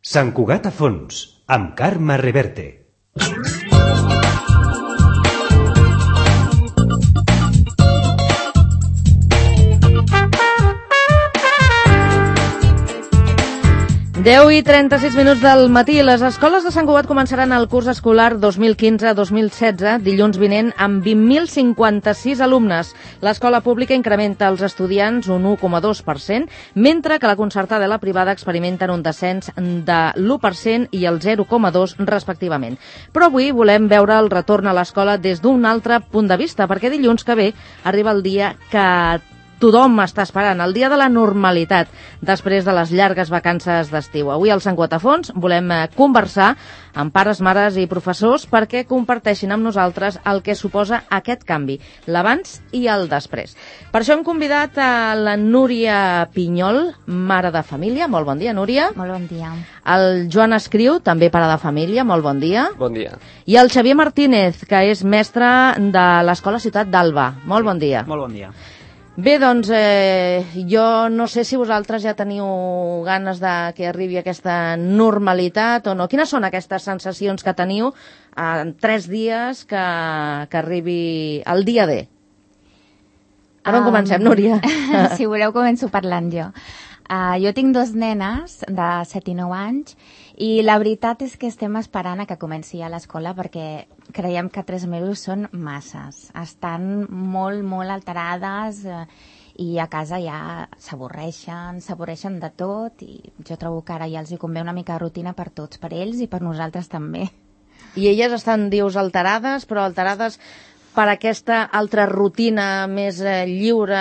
Sant Cugat a fons, amb Carme Reverte. Deu i 36 minuts del matí. Les escoles de Sant Cugat començaran el curs escolar 2015-2016 dilluns vinent amb 20.056 alumnes. L'escola pública incrementa els estudiants un 1,2%, mentre que la concertada i la privada experimenten un descens de l'1% i el 0,2% respectivament. Però avui volem veure el retorn a l'escola des d'un altre punt de vista, perquè dilluns que ve arriba el dia que tothom està esperant, el dia de la normalitat, després de les llargues vacances d'estiu. Avui al Sant Cugat a fons volem conversar amb pares, mares i professors perquè comparteixin amb nosaltres el que suposa aquest canvi, l'abans i el després. Per això hem convidat a la Núria Pinyol, mare de família. Molt bon dia, Núria. Molt bon dia. El Joan Escriu, també pare de família. Molt bon dia. Bon dia. I el Xavier Martínez, que és mestre de l'Escola Ciutat d'Alba. Molt bon dia. Molt bon dia. Bé, doncs, jo no sé si vosaltres ja teniu ganes de que arribi aquesta normalitat o no. Quines són aquestes sensacions que teniu en 3 dies que arribi el dia D? Per on comencem, Núria? Si voleu, començo parlant jo. Jo tinc 2 nenes de 7 i 9 anys i la veritat és que estem esperant a que comenci a l'escola perquè creiem que 3 mesos són masses. Estan molt, molt alterades i a casa ja s'avorreixen de tot i jo trobo que ara ja els hi convé una mica de rutina per tots, per ells i per nosaltres també. I elles estan, dius, alterades, però alterades per aquesta altra rutina més lliure,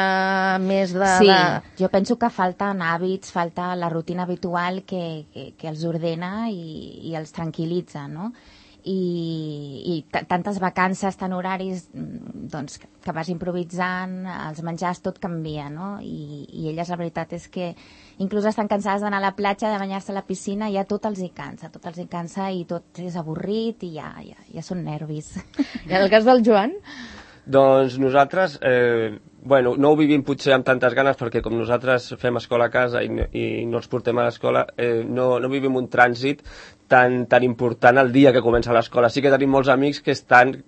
més de... Sí, jo penso que falten hàbits, falta la rutina habitual que els ordena i els tranquil·litza, no? I tantes vacances, tant horaris, doncs, que vas improvisant, els menjars, tot canvia, no? I elles, la veritat és que inclús estan cansades d'anar a la platja, de banyar-se a la piscina, ja tot els hi cansa i tot és avorrit i ja són nervis. I en el cas del Joan? Doncs nosaltres, no ho vivim potser amb tantes ganes perquè com nosaltres fem escola a casa i no els portem a l'escola, no vivim un trànsit tan important el dia que comença l'escola. Sí que tenim molts amics que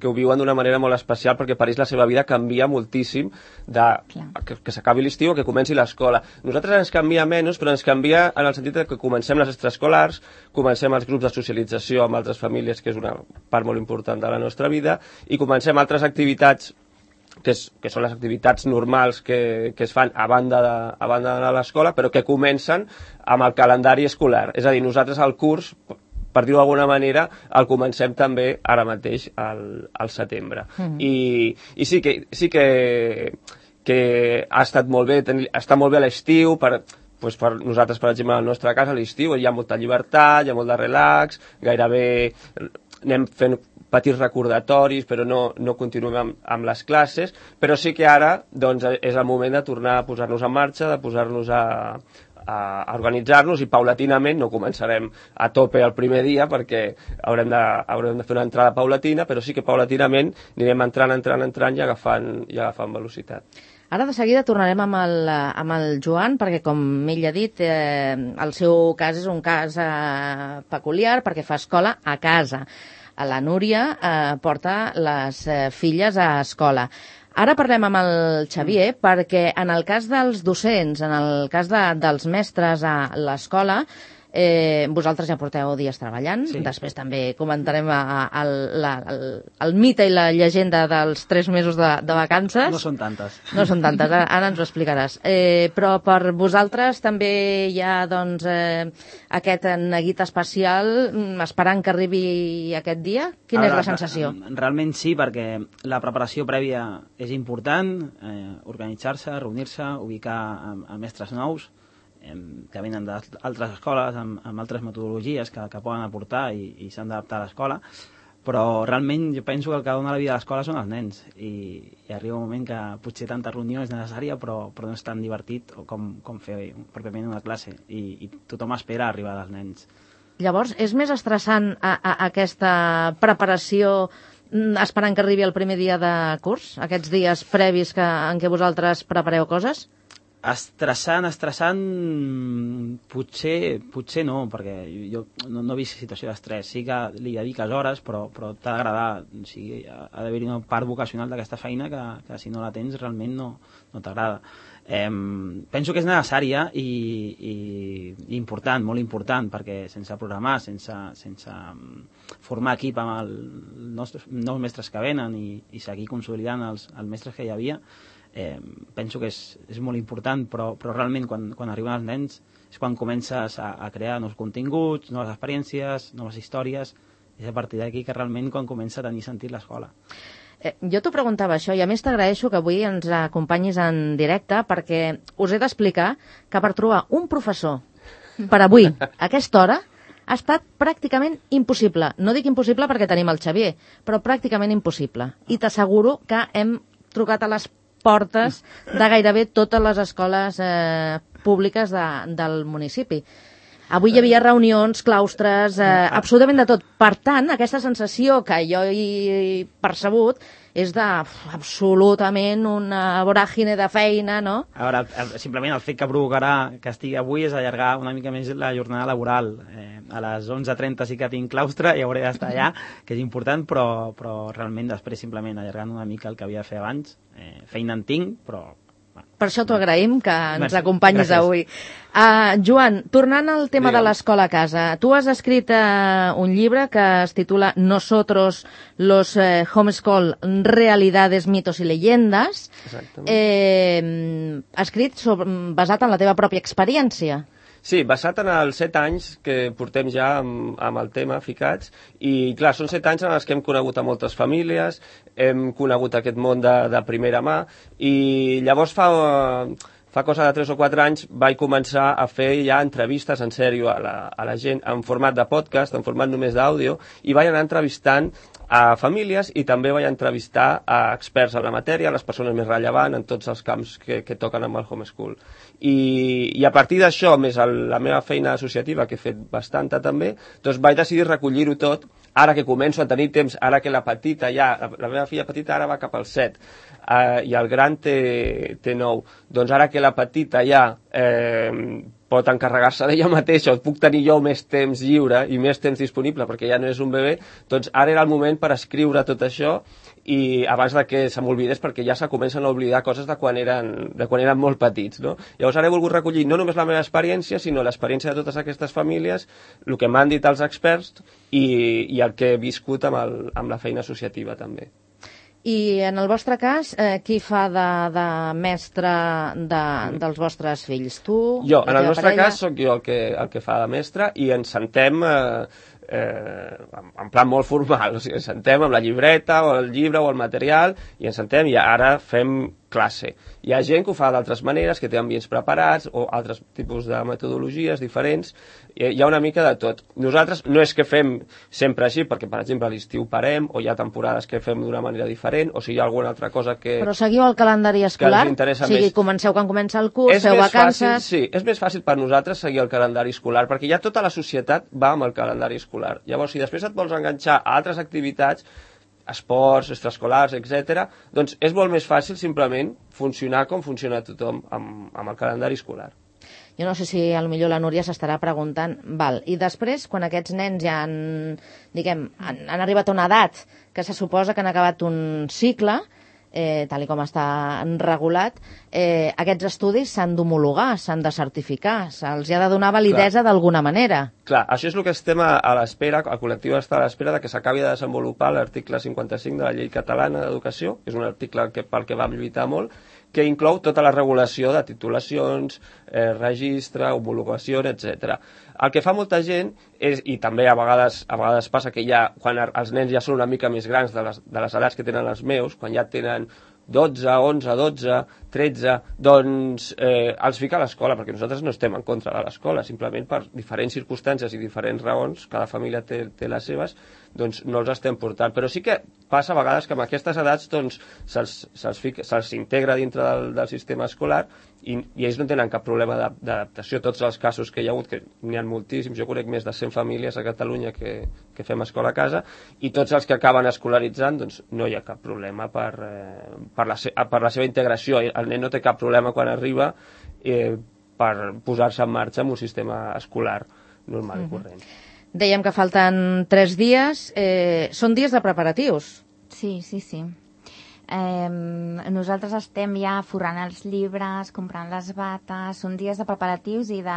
ho viuen d'una manera molt especial perquè per ells la seva vida canvia moltíssim que s'acabi l'estiu o que comenci l'escola. Nosaltres ens canvia menys, però ens canvia en el sentit que comencem les extraescolars, comencem els grups de socialització amb altres famílies, que és una part molt important de la nostra vida, i comencem altres activitats que són les activitats normals que es fan a banda d'anar a l'escola, però que comencen amb el calendari escolar. És a dir, nosaltres el curs, per dir-ho d'alguna manera, el comencem també ara mateix al setembre. I sí que ha estat molt bé, està molt bé l'estiu, per nosaltres, per exemple, a la nostra casa, a l'estiu hi ha molta llibertat, hi ha molt de relax, gairebé anem fent petits recordatoris, però no continuem amb les classes, però sí que ara doncs, és el moment de tornar a posar-nos en marxa, de posar-nos a organitzar-nos i paulatinament, no començarem a tope el primer dia perquè haurem de fer una entrada paulatina, però sí que paulatinament anirem entrant i agafant velocitat. Ara de seguida tornarem amb el Joan, perquè com ell ha dit, el seu cas és un cas peculiar perquè fa escola a casa. La Núria porta les filles a escola. Ara parlem amb el Xavier perquè en el cas dels docents, en el cas dels mestres a l'escola, vosaltres ja porteu dies treballant, sí. Després també comentarem el mite i la llegenda dels 3 mesos de vacances. No són tantes. No són tantes, ara ens ho explicaràs. Però per vosaltres també hi ha doncs, aquest neguit especial esperant que arribi aquest dia? Quina és la sensació? Realment sí, perquè la preparació prèvia és important, organitzar-se, reunir-se, ubicar a mestres nous, que venen d'altres escoles amb altres metodologies que poden aportar i s'han d'adaptar a l'escola, però realment jo penso que el que dona la vida a l'escola són els nens i arriba un moment que potser tanta reunió és necessària però no és tan divertit com fer pròpiament una classe i tothom espera arribar dels nens. Llavors, és més estressant aquesta preparació esperant que arribi el primer dia de curs? Aquests dies previs en què vosaltres prepareu coses? Estressant, potser no, perquè jo no he vist situació d'estrès. Sí que li dediques hores, però t'ha d'agradar. O sigui, ha d'haver-hi una part vocacional d'aquesta feina que si no la tens realment no t'agrada. Penso que és necessària i important, molt important, perquè sense programar, sense formar equip amb els nous mestres que venen i seguir consolidant els mestres que hi havia, penso que és molt important, però realment quan arriben els nens és quan comences a crear nous continguts, noves experiències, noves històries, és a partir d'aquí que realment quan comença a tenir sentit l'escola. Jo t'ho preguntava això, i a més t'agraeixo que avui ens acompanyis en directe, perquè us he d'explicar que per trobar un professor per avui, a aquesta hora, ha estat pràcticament impossible. No dic impossible perquè tenim el Xavier, però pràcticament impossible. I t'asseguro que hem trucat a les portes de gairebé totes les escoles públiques del municipi. Avui hi havia reunions, claustres, absolutament de tot. Per tant, aquesta sensació que jo he percebut és absolutament una voràgine de feina, no? A veure, simplement el fet que provocarà que estigui avui és allargar una mica més la jornada laboral. A les 11:30 sí que tinc claustre i hauré d'estar allà, que és important, però realment després simplement allargant una mica el que havia de fer abans. Feina en tinc, però... Per això t'ho agraïm, que ens acompanyis avui. Joan, tornant al tema de l'escola a casa, tu has escrit un llibre que es titula Nosotros, los homeschool, realidades, mitos y leyendas, escrit basat en la teva pròpia experiència. Sí, basat en els 7 anys que portem ja amb el tema ficats, i clar, són 7 anys en els que hem conegut a moltes famílies, hem conegut aquest món de primera mà, i llavors fa cosa de 3 o 4 anys vaig començar a fer ja entrevistes en sèrio a la gent en format de podcast, en format només d'àudio, i vaig anar entrevistant a famílies i també vaig entrevistar a experts en la matèria, les persones més rellevants en tots els camps que toquen amb el homeschool. I a partir d'això, més la meva feina associativa, que he fet bastanta també, doncs vaig decidir recollir-ho tot, ara que començo a tenir temps, ara que la petita ja, la meva filla petita ara va cap al 7, i el gran té 9, doncs ara que la petita ja pot encarregar-se d'ella mateixa, o puc tenir jo més temps lliure i més temps disponible perquè ja no és un bebè, doncs ara era el moment per escriure tot això i abans de que se m'oblidés, perquè ja se comencen a oblidar coses de quan eren molt petits, no? Llavors ara he volgut recollir no només la meva experiència, sinó l'experiència de totes aquestes famílies, el que m'han dit els experts i el que he viscut amb la feina associativa també. I en el vostre cas, qui fa de mestre dels vostres fills? Tu? Jo, en el nostre cas sóc jo el que fa de mestre i ens sentem en plan molt formal, o sigui, ens sentem amb la llibreta o el llibre o el material i ens sentem i ara fem classe. Hi ha gent que ho fa d'altres maneres, que té ambients preparats o altres tipus de metodologies diferents, hi ha una mica de tot. Nosaltres no és que fem sempre així, perquè per exemple a l'estiu parem o hi ha temporades que fem d'una manera diferent o si hi ha alguna altra cosa que... Però seguiu el calendari escolar? O sigui, comenceu quan comença el curs, feu vacances... Sí, és més fàcil per nosaltres seguir el calendari escolar, perquè ja tota la societat va amb el calendari escolar. Llavors, si després et vols enganxar a altres activitats, esports, extraescolars, etc., doncs és molt més fàcil simplement funcionar com funciona tothom amb el calendari escolar. Jo no sé si potser la Núria s'estarà preguntant, i després, quan aquests nens ja han arribat a una edat que se suposa que han acabat un cicle, tal com està regulat, aquests estudis s'han d'homologar, s'han de certificar, se'ls ha de donar validesa d'alguna manera. Clar, això és el que estem a l'espera, el col·lectiu està a l'espera de que s'acabi de desenvolupar l'article 55 de la Llei Catalana d'Educació, que és un article pel que vam lluitar molt, que inclou tota la regulació de titulacions, registre, homologació, etc. El que fa molta gent és, i també a vegades passa que ja, quan els nens ja són una mica més grans de les edats que tenen els meus, quan ja tenen 12, 11, 12, 13, doncs els fica a l'escola, perquè nosaltres no estem en contra de l'escola, simplement per diferents circumstàncies i diferents raons, cada família té les seves, doncs no els estem portant. Però sí que passa a vegades que amb aquestes edats doncs, se'ls integra dintre del sistema escolar i ells no tenen cap problema d'adaptació. Tots els casos que hi ha hagut, que n'hi ha moltíssims, jo conec més de 100 famílies a Catalunya que fem escola a casa, i tots els que acaben escolaritzant, doncs no hi ha cap problema per la seva integració el nen no té cap problema quan arriba per posar-se en marxa amb un sistema escolar normal i corrent. Dèiem que falten 3 dies. Són dies de preparatius. Sí. Nosaltres estem ja forrant els llibres, comprant les bates, són dies de preparatius i de...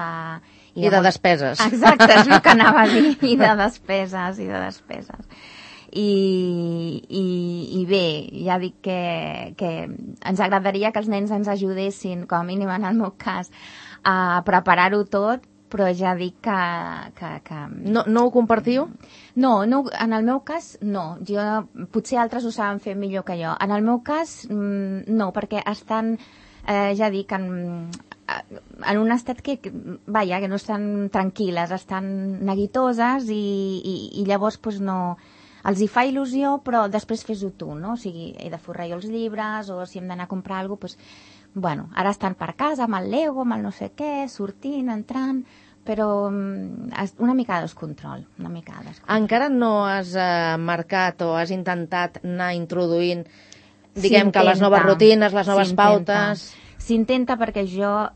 I de despeses. Exacte, és el que anava a dir, i de despeses. I bé, ja dic que ens agradaria que els nens ens ajudessin, com a mínim en el meu cas, a preparar-ho tot, però ja dic que... No ho compartiu? No, en el meu cas no. Potser altres ho saben fer millor que jo. En el meu cas no, perquè estan, ja dic, en un estat que no estan tranquil·les, estan neguitoses i llavors no... Els hi fa il·lusió, però després fes-ho tu, no? O sigui, he de forrar jo els llibres, o si hem d'anar a comprar alguna cosa, bueno, ara estan per casa amb el Lego, amb el no sé què, sortint, entrant, però una mica de descontrol, Encara no has marcat o has intentat anar introduint, diguem que les noves rutines, les noves pautes... S'intenta perquè jo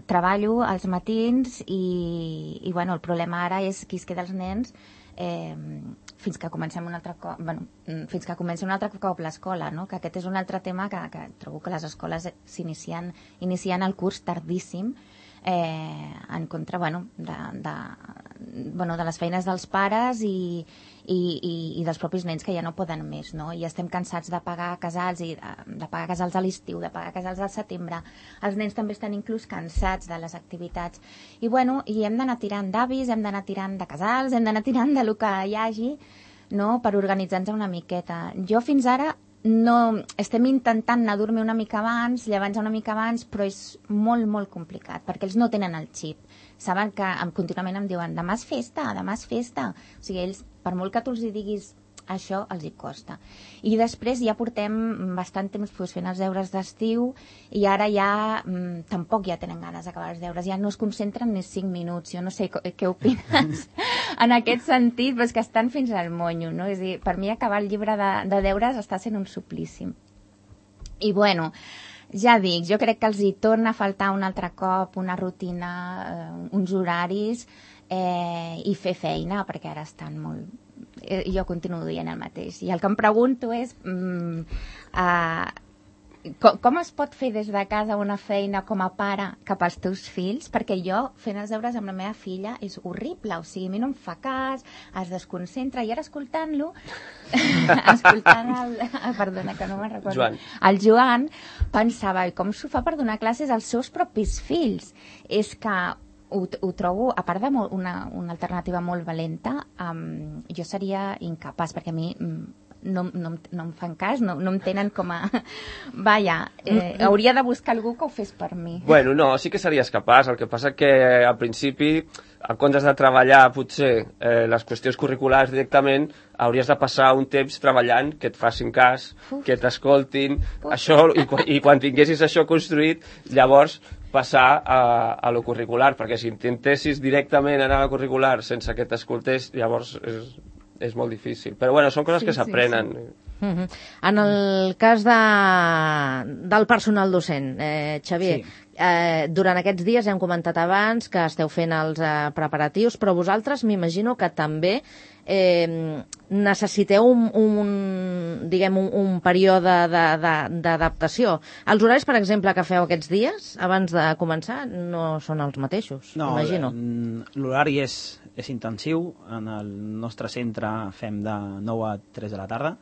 treballo als matins i bueno, el problema ara és qui es queda els nens fins que comencem un altre cop, fins que comenci un altre cop l'escola, no? Que aquest és un altre tema que trobo que les escoles inicien el curs tardíssim en contra de les feines dels pares i dels propis nens que ja no poden més, no? I estem cansats de pagar casals a l'estiu, de pagar casals al setembre. Els nens també estan inclús cansats de les activitats. I hem d'anar tirant d'avis, hem d'anar tirant de casals, hem d'anar tirant de lo que hi hagi, no? Per organitzar-nos una miqueta. Jo fins ara estem intentant anar a dormir una mica abans, llevar-nos una mica abans, però és molt, molt complicat, perquè ells no tenen el xip. Saben que contínuament em diuen demà és festa. O sigui, ells, per molt que tu els hi diguis això, els hi costa. I després ja portem bastant temps fent els deures d'estiu i ara ja tampoc ja tenen ganes d'acabar els deures, ja no es concentren ni 5 minuts. Jo no sé què opines en aquest sentit, però és que estan fins al monyo, no? És a dir, per mi acabar el llibre de deures està sent un suplici. I bueno, ja dic, jo crec que els hi torna a faltar un altre cop una rutina, uns horaris i fer feina, perquè ara estan molt... Jo continuo dient el mateix. I el que em pregunto és com es pot fer des de casa una feina com a pare cap als teus fills? Perquè jo, fent els deures amb la meva filla, és horrible. O sigui, a mi no em fa cas, es desconcentra. I ara escoltant-lo, perdona, que no me'n recordo. El Joan pensava, com s'ho fa per donar classes als seus propis fills? És que ho trobo, a part d'una alternativa molt valenta, jo seria incapaç, perquè a mi no em fan cas, no em tenen com a... hauria de buscar algú que ho fes per mi. Bueno, no, sí que series capaç, el que passa que al principi, en comptes de treballar potser les qüestions curriculars directament, hauries de passar un temps treballant, que et facin cas, que t'escoltin, això, i quan tinguessis això construït, llavors passar a lo curricular, perquè si intentessis directament anar a lo curricular sense que t'escoltés, llavors és molt difícil. Però bueno, són coses que s'aprenen. Sí. En el cas del personal docent, Xavier, durant aquests dies hem comentat abans que esteu fent els preparatius, però vosaltres m'imagino que també necessiteu un període d'adaptació. Els horaris, per exemple, que feu aquests dies, abans de començar, no són els mateixos, imagino. L'horari és intensiu. En el nostre centre fem de 9 a 3 de la tarda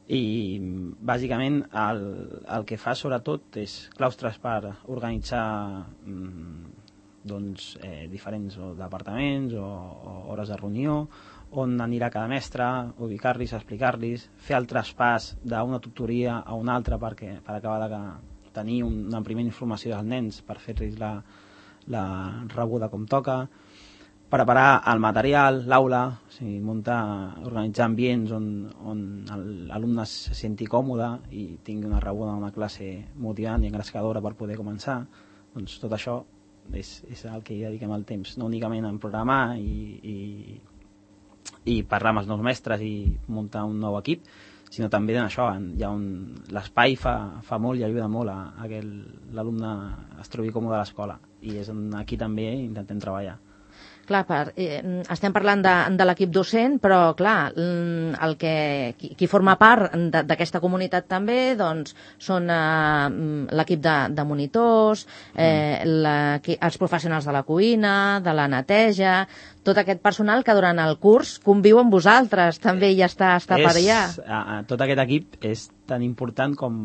i bàsicament el que fa sobretot és claustres per organitzar diferents departaments o hores de reunió, on anirà cada mestre, ubicar-los, explicar-los, fer el traspàs d'una tutoria a una altra per acabar de tenir una primera informació dels nens per fer-los la rebuda com toca, preparar el material, l'aula, o sigui, organitzar ambients on l'alumne se senti còmode i tingui una rebuda d'una classe motivant i engrescadora per poder començar. Doncs tot això és el que hi dediquem el temps, no únicament en programar i parlar amb els nous mestres i muntar un nou equip, sinó també en això, l'espai fa molt i ajuda molt a que l'alumne es trobi còmode a l'escola, i és on aquí també intentem treballar. Clar, estem parlant de l'equip docent, però clar, qui forma part d'aquesta comunitat també doncs, són l'equip de monitors, els professionals de la cuina, de la neteja, tot aquest personal que durant el curs conviu amb vosaltres, també ja està per allà. Tot aquest equip és tan important com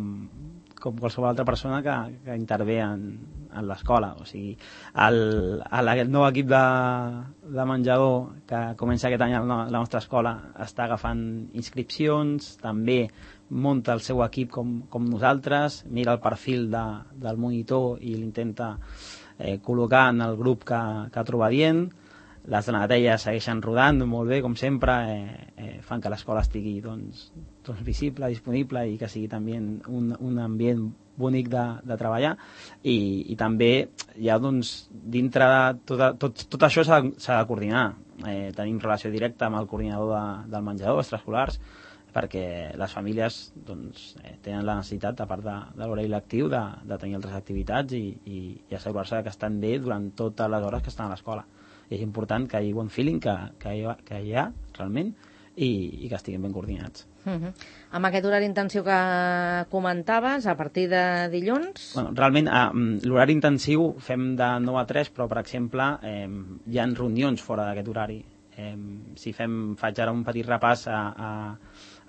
qualsevol altra persona que intervé en l'escola. O sigui, el nou equip de menjador que comença aquest any a la nostra escola està agafant inscripcions, també munta el seu equip com nosaltres, mira el perfil del monitor i l'intenta col·locar en el grup que troba dient. Les de la neteja segueixen rodant molt bé, com sempre, fan que l'escola estigui visible, disponible, i que sigui també un ambient bonic de treballar, i també ja dintre de tot això s'ha de coordinar. Tenim relació directa amb el coordinador del menjador, extraescolars, perquè les famílies tenen la necessitat, a part de l'horari lectiu, de tenir altres activitats i assegurar-se que estan bé durant totes les hores que estan a l'escola. I és important que hi hagi bon feeling, que hi ha realment, i que estiguin ben coordinats. Amb aquest horari intensiu que comentaves, a partir de dilluns? Bueno, realment, l'horari intensiu fem de 9 a 3, però, per exemple, hi ha reunions fora d'aquest horari. Si faig ara un petit repàs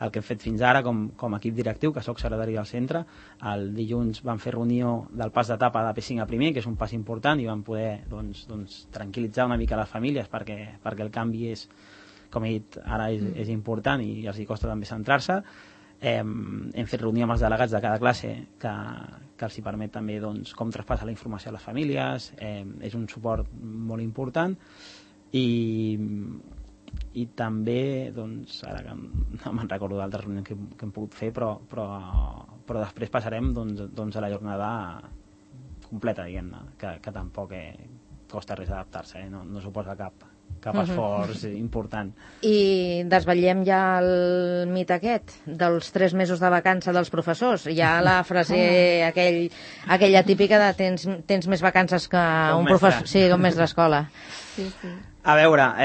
el que hem fet fins ara com a equip directiu, que soc secretari del centre. El dilluns vam fer reunió del pas d'etapa de P5 a primer, que és un pas important, i vam poder tranquil·litzar una mica les famílies perquè el canvi és, com he dit, ara és important i els hi costa també centrar-se. Hem fet reunió amb els delegats de cada classe que els hi permet també com traspassar la informació a les famílies. És un suport molt important, i també, ara que no me'n recordo d'altres reunions que hem pogut fer, però després passarem a la jornada completa, diguem-ne, que tampoc costa res adaptar-se, no suposa cap esforç important. I desvetllem ja el mit aquest dels 3 mesos de vacança dels professors. Hi ha la frase aquella típica de tens més vacances que un professor, sí, un mestre d'escola. Sí. A veure,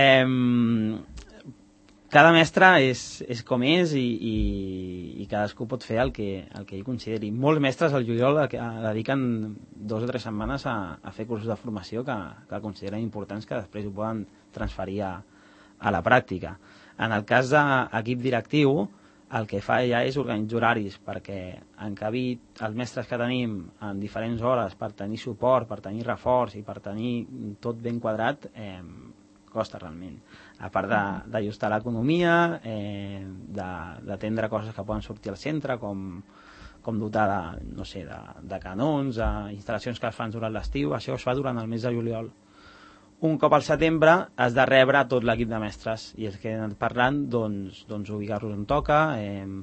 cada mestre és com és, i cadascú pot fer el que ell consideri. Molts mestres al juliol dediquen 2 o 3 setmanes a fer cursos de formació que consideren importants, que després ho poden transferir a la pràctica. En el cas d'equip directiu, el que fa ja és organitzar horaris perquè encabir els mestres que tenim en diferents hores per tenir suport, per tenir reforç i per tenir tot ben quadrat, costa realment. A part d'ajustar l'economia, d'atendre coses que poden sortir al centre, com dotar de canons, instal·lacions que es fan durant l'estiu. Això es fa durant el mes de juliol. Un cop al setembre has de rebre tot l'equip de mestres, i és que he anat parlant ubicar-los on toca,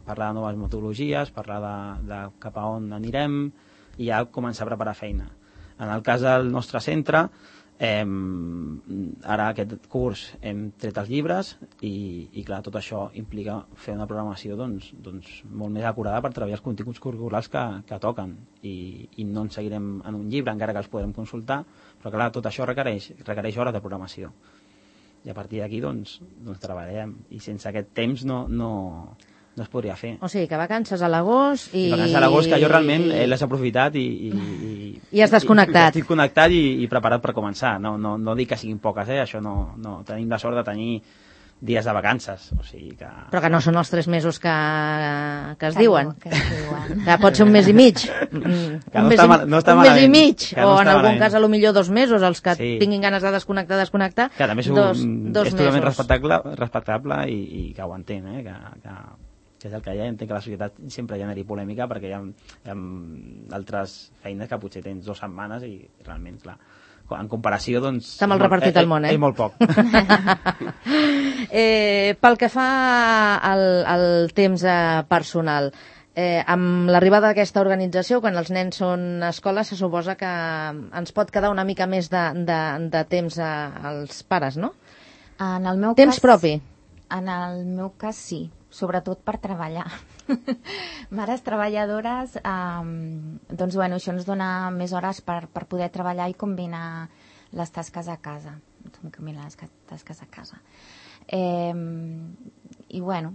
parlar de noves metodologies, parlar de cap a on anirem, i ja començar a preparar feina. En el cas del nostre centre, ara aquest curs hem tret els llibres, i clar, tot això implica fer una programació molt més acurada per treballar els continguts curriculars que toquen, i no ens seguirem en un llibre, encara que els podem consultar, però clar, tot això requereix hores de programació, i a partir d'aquí treballarem, i sense aquest temps no es podria fer. O sigui, que vacances a l'agost i vacances a l'agost, que jo realment l'he aprofitat i has desconnectat. Estic connectat i preparat per començar. No dic que siguin poques, això no. Tenim la sort de tenir dies de vacances, o sigui que... Però que no són els 3 mesos que es diuen. Que es diuen. Que pot ser un mes i mig. Un mes i mig. O en algun cas, a lo millor 2 mesos, els que tinguin ganes de desconnectar. Que també és totalment respectable i que ho entén, que és el que hi ha. Entenc que a la societat sempre generi polèmica, perquè hi ha altres feines que potser tens 2 setmanes i realment, clar, en comparació, està mal repartit el món, és molt poc. Pel que fa al temps personal, amb l'arribada d'aquesta organització, quan els nens són a escola, se suposa que ens pot quedar una mica més de temps als pares, no? En el meu temps cas, propi. En el meu cas sí, sobretot per treballar. Mares treballadores, doncs bueno, això ens dona més hores per poder treballar i combinar les tasques a casa. I bueno,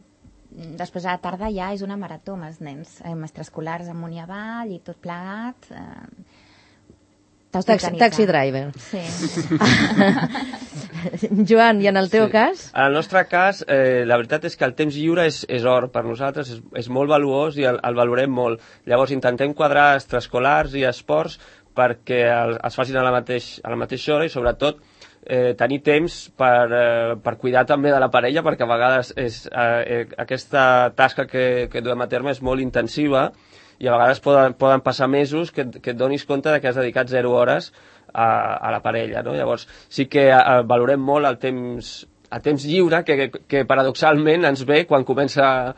després a la tarda ja és una marató amb els nens, amb extraescolars amunt i avall i tot plegat. Taxi driver. Sí. Joan, i en el teu cas? En el nostre cas, la veritat és que el temps lliure és or per nosaltres, és molt valuós i el valorem molt. Llavors intentem quadrar extraescolars i esports perquè es facin a la mateixa hora i sobretot tenir temps per cuidar també de la parella, perquè a vegades aquesta tasca que duem a terme és molt intensiva i a vegades poden passar mesos que et donis compte que has dedicat 0 hores a la parella, no? Llavors sí que valorem molt el temps lliure que paradoxalment ens ve quan comencen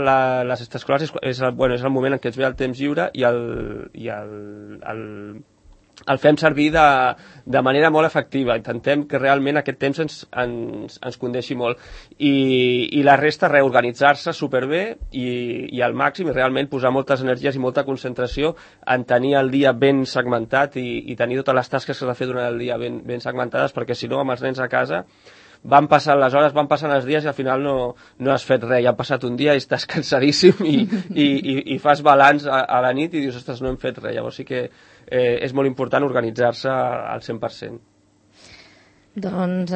les extraescolars, és el moment en què ens ve el temps lliure i el fem servir de manera molt efectiva. Intentem que realment aquest temps ens condeixi molt. I la resta, reorganitzar-se superbé i al màxim, i realment posar moltes energies i molta concentració en tenir el dia ben segmentat i tenir totes les tasques que s'ha de fer durant el dia ben segmentades, perquè si no, amb els nens a casa van passant les hores, van passant els dies i al final no has fet res, ja ha passat un dia i estàs cansadíssim i fas balanç a la nit i dius, ostres, no hem fet res. Llavors sí que és molt important organitzar-se al 100%. Doncs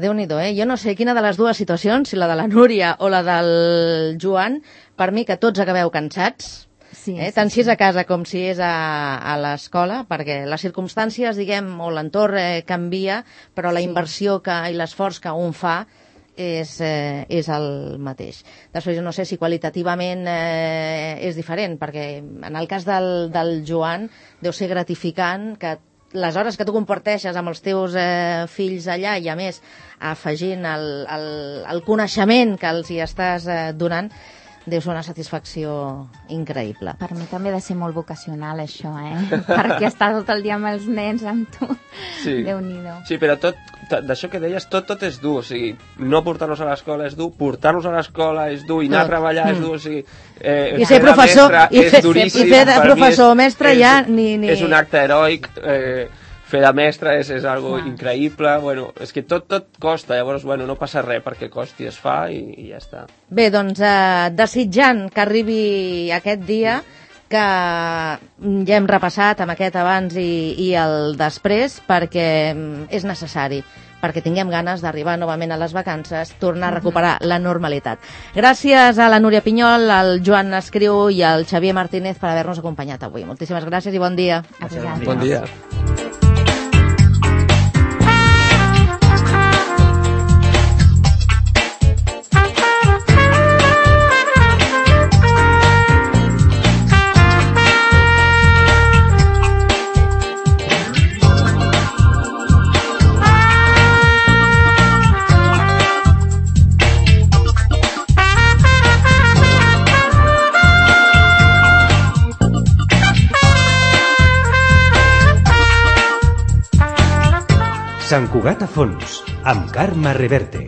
Déu-n'hi-do, Jo no sé quina de les dues situacions, si la de la Núria o la del Joan, per mi que tots acabeu cansats, tant si és a casa com si és a l'escola, perquè les circumstàncies, diguem, o l'entorn canvia, però la inversió i l'esforç que un fa és el mateix. Després jo no sé si qualitativament és diferent, perquè en el cas del Joan deu ser gratificant que les hores que tu comparteixes amb els teus fills allà i a més afegint el coneixement que els hi estàs donant, deu ser una satisfacció increïble. Per mi també ha de ser molt vocacional això, perquè estar tot el dia amb els nens, amb tu, Déu-n'hi-do. Sí, però d'això que deies, tot és dur, o sigui, no portar-nos a l'escola és dur, portar-nos a l'escola és dur, i anar a treballar és dur, o sigui, i ser professor, és duríssim. I fer de professor o mestre ja ni... És un acte heroic, fer de mestre és algo increïble, bueno, és que tot costa, llavors, bueno, no passa res perquè costi, es fa i ja està. Bé, doncs, desitjant que arribi aquest dia, que ja hem repassat amb aquest abans i el després, perquè és necessari, perquè tinguem ganes d'arribar novament a les vacances, tornar a recuperar la normalitat. Gràcies a la Núria Pinyol, al Joan Escriu i al Xavier Martínez per haver-nos acompanyat avui. Moltíssimes gràcies i bon dia. Bon dia. Sant Cugat a fons, amb Carme Reverte.